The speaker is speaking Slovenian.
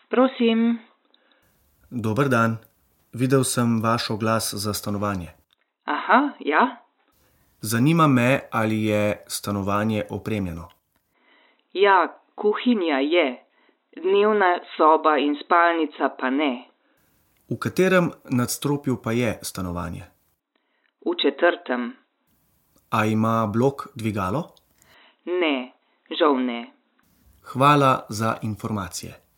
Prosim. Dober dan. Videl sem vaš oglas za stanovanje. Aha, ja. Zanima me, ali je stanovanje opremljeno. Ja, kuhinja je. Dnevna soba in spalnica pa ne. V katerem nadstropju pa je stanovanje? V 4. A ima blok dvigalo? Ne, žal ne. Hvala za informacije.